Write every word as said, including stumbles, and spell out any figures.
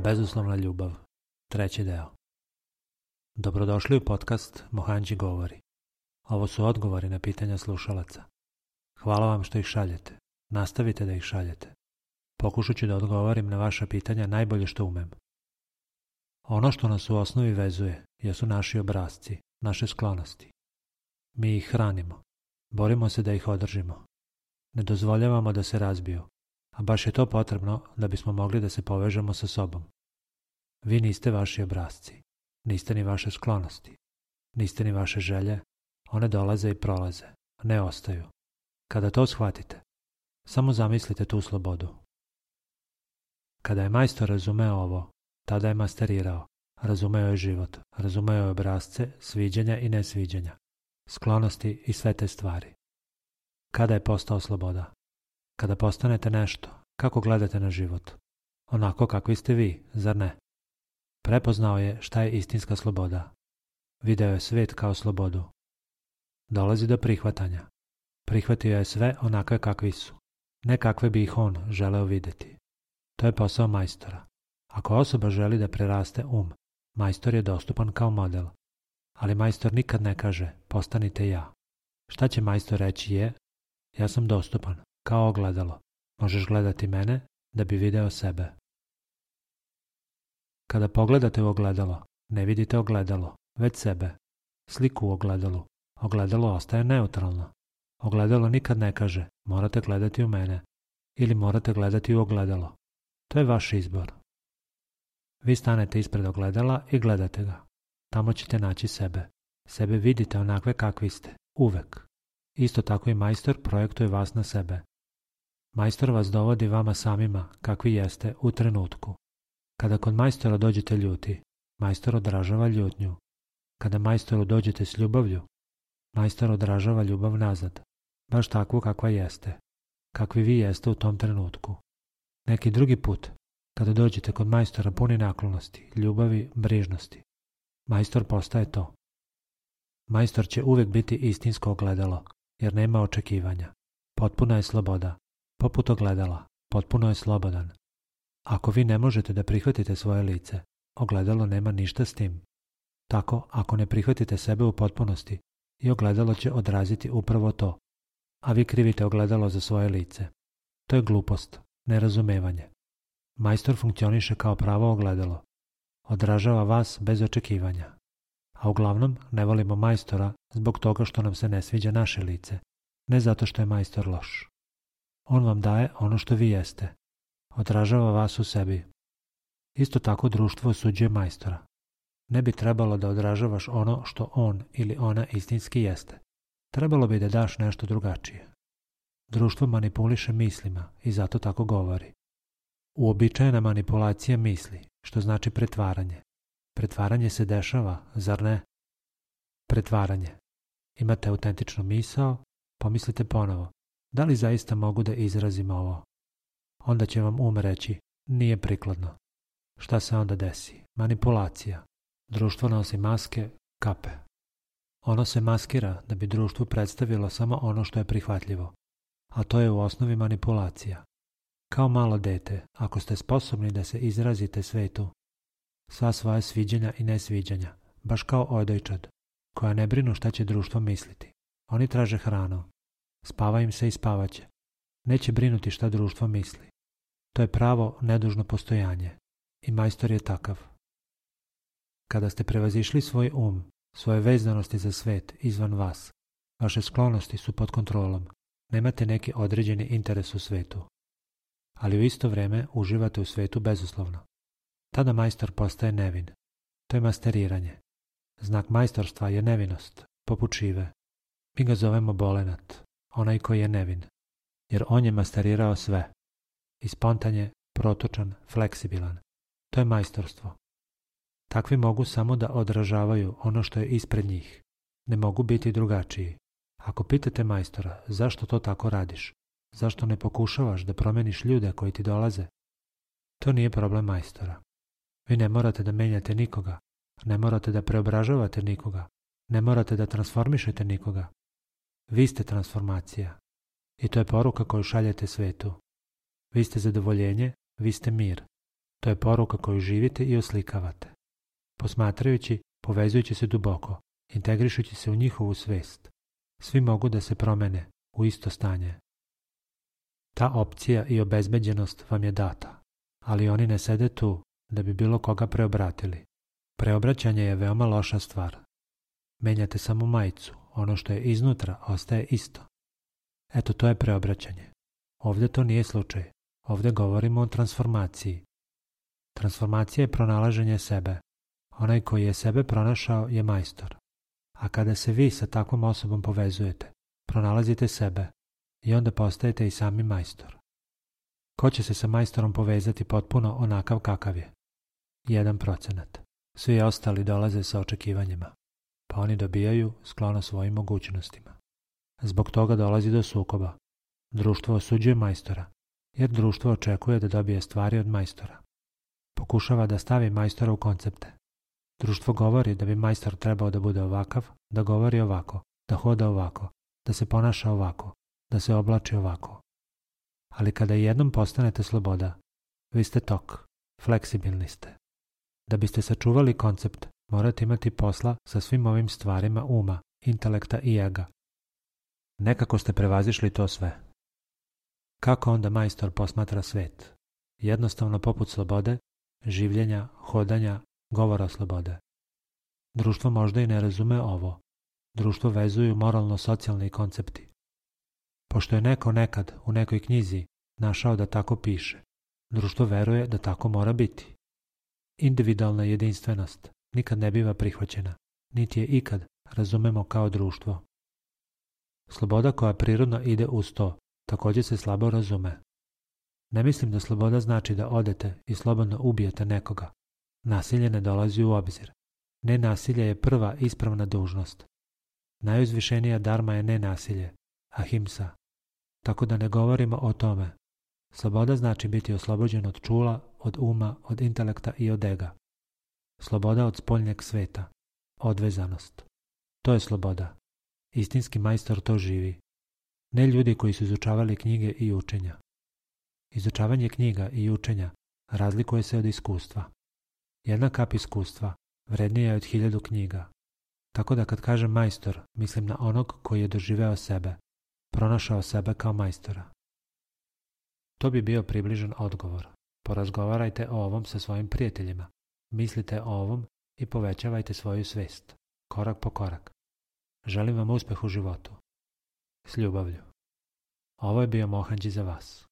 Bezuslovna ljubav, treći deo. Dobrodošli u podcast Mohanđi govori. Ovo su odgovori na pitanja slušalaca. Hvala vam što ih šaljete. Nastavite da ih šaljete. Pokušat ću da odgovorim na vaša pitanja najbolje što umem. Ono što nas u osnovi vezuje jesu naši obrasci, naše sklonosti. Mi ih hranimo. Borimo se da ih održimo. Ne dozvoljavamo da se razbiju, a baš je to potrebno da bismo mogli da se povežemo sa sobom. Vi niste vaši obrasci, niste ni vaše sklonosti, niste ni vaše želje, one dolaze i prolaze, ne ostaju. Kada to shvatite, samo zamislite tu slobodu. Kada je majstor razumeo ovo, tada je masterirao, razumeo je život, razumeo je obrasce, sviđanja i nesviđanja, sklonosti i sve te stvari. Kada je postao sloboda? Kada postanete nešto, kako gledate na život? Onako kakvi ste vi, zar ne? Prepoznao je šta je istinska sloboda. Video je svijet kao slobodu. Dolazi do prihvatanja. Prihvatio je sve onakve kakvi su, ne kakve bi ih on želeo vidjeti. To je posao majstora. Ako osoba želi da preraste um, majstor je dostupan kao model. Ali majstor nikad ne kaže, postanite ja. Šta će majstor reći je, ja sam dostupan, kao ogledalo. Možeš gledati mene da bi video sebe. Kada pogledate u ogledalo, ne vidite ogledalo, već sebe. Sliku u ogledalu. Ogledalo ostaje neutralno. Ogledalo nikad ne kaže, morate gledati u mene ili morate gledati u ogledalo. To je vaš izbor. Vi stanete ispred ogledala i gledate ga. Tamo ćete naći sebe. Sebe vidite onakve kakvi ste, uvek. Isto tako i majstor projektuje vas na sebe. Majstor vas dovodi vama samima kakvi jeste u trenutku. Kada kod majstora dođete ljuti, majstor odražava ljutnju. Kada majstoru dođete s ljubavlju, majstor odražava ljubav nazad, baš takvu kakva jeste, kakvi vi jeste u tom trenutku. Neki drugi put, kada dođete kod majstora puni naklonosti, ljubavi, brižnosti, majstor postaje to. Majstor će uvijek biti istinsko ogledalo, jer nema očekivanja. Potpuna je sloboda. Poput ogledala, potpuno je slobodan. Ako vi ne možete da prihvatite svoje lice, ogledalo nema ništa s tim. Tako, ako ne prihvatite sebe u potpunosti, i ogledalo će odraziti upravo to, a vi krivite ogledalo za svoje lice. To je glupost, nerazumevanje. Majstor funkcioniše kao pravo ogledalo. Odražava vas bez očekivanja. A uglavnom ne volimo majstora zbog toga što nam se ne sviđa naše lice, ne zato što je majstor loš. On vam daje ono što vi jeste. Odražava vas u sebi. Isto tako društvo osuđuje majstora. Ne bi trebalo da odražavaš ono što on ili ona istinski jeste. Trebalo bi da daš nešto drugačije. Društvo manipuliše mislima i zato tako govori. Uobičajena manipulacija misli, što znači pretvaranje. Pretvaranje se dešava, zar ne? Pretvaranje. Imate autentičnu misao, pomislite ponovo. Da li zaista mogu da izrazim ovo? Onda će vam um reći, nije prikladno. Šta se onda desi? Manipulacija. Društvo nosi maske, kape. Ono se maskira da bi društvu predstavilo samo ono što je prihvatljivo, a to je u osnovi manipulacija. Kao malo dete, ako ste sposobni da se izrazite svetu, sva svoja sviđanja i nesviđanja, baš kao odojčad, koja ne brinu šta će društvo misliti. Oni traže hranu. Spava im se i spavaće. Neće brinuti šta društvo misli. To je pravo nedužno postojanje. I majstor je takav. Kada ste prevazišli svoj um, svoje vezanosti za svet izvan vas, vaše sklonosti su pod kontrolom. Nemate neki određeni interes u svetu. Ali u isto vrijeme uživate u svetu bezuslovno. Tada majstor postaje nevin. To je masteriranje. Znak majstorstva je nevinost, poput šive. Mi ga zovemo bolenat, onaj koji je nevin. Jer on je masterirao sve. I spontan je, protočan, fleksibilan. To je majstorstvo. Takvi mogu samo da odražavaju ono što je ispred njih. Ne mogu biti drugačiji. Ako pitate majstora zašto to tako radiš, zašto ne pokušavaš da promeniš ljude koji ti dolaze, to nije problem majstora. Vi ne morate da menjate nikoga, ne morate da preobražavate nikoga, ne morate da transformišete nikoga. Vi ste transformacija. I to je poruka koju šaljete svetu. Vi ste zadovoljenje, vi ste mir. To je poruka koju živite i oslikavate. Posmatrajući, povezujući se duboko, integrišući se u njihovu svest, svi mogu da se promene u isto stanje. Ta opcija i obezbeđenost vam je data, ali oni ne sede tu da bi bilo koga preobratili. Preobraćanje je veoma loša stvar. Menjate samo majicu, ono što je iznutra ostaje isto. Eto, to je preobraćanje. Ovdje to nije slučaj. Ovdje govorimo o transformaciji. Transformacija je pronalaženje sebe. Onaj koji je sebe pronašao je majstor. A kada se vi sa takvom osobom povezujete, pronalazite sebe i onda postajete i sami majstor. Ko će se sa majstorom povezati potpuno onakav kakav je? Jedan procenat. Svi ostali dolaze sa očekivanjima, pa oni dobijaju sklono svojim mogućnostima. Zbog toga dolazi do sukoba. Društvo osuđuje majstora, jer društvo očekuje da dobije stvari od majstora. Pokušava da stavi majstora u koncepte. Društvo govori da bi majstor trebao da bude ovakav, da govori ovako, da hoda ovako, da se ponaša ovako, da se oblači ovako. Ali kada jednom postanete sloboda, vi ste tok, fleksibilni ste. Da biste sačuvali koncept, morate imati posla sa svim ovim stvarima uma, intelekta i ega. Nekako ste prevazišli to sve. Kako onda majstor posmatra svet? Jednostavno poput slobode, življenja, hodanja, govora slobode. Društvo možda i ne razume ovo. Društvo vezuju moralno-socijalni koncepti. Pošto je neko nekad u nekoj knjizi našao da tako piše, društvo veruje da tako mora biti. Individualna jedinstvenost nikad ne biva prihvaćena, niti je ikad razumemo kao društvo. Sloboda koja prirodno ide uz to, također se slabo razume. Ne mislim da sloboda znači da odete i slobodno ubijete nekoga. Nasilje ne dolazi u obzir. Nenasilje je prva ispravna dužnost. Najuzvišenija dharma je nenasilje, ahimsa. Tako da ne govorimo o tome. Sloboda znači biti oslobođen od čula, od uma, od intelekta i od ega. Sloboda od spoljnjeg sveta. Odvezanost. To je sloboda. Istinski majstor to živi. Ne ljudi koji su izučavali knjige i učenja. Izučavanje knjiga i učenja razlikuje se od iskustva. Jedna kap iskustva vrednija je od hiljadu knjiga. Tako da kad kažem majstor, mislim na onog koji je doživeo sebe, pronašao sebe kao majstora. To bi bio približan odgovor. Porazgovarajte o ovom sa svojim prijateljima. Mislite o ovom i povećavajte svoju svest, korak po korak. Želim vam uspeh u životu. S ljubavlju. Ovo je bio Mohanđi za vas.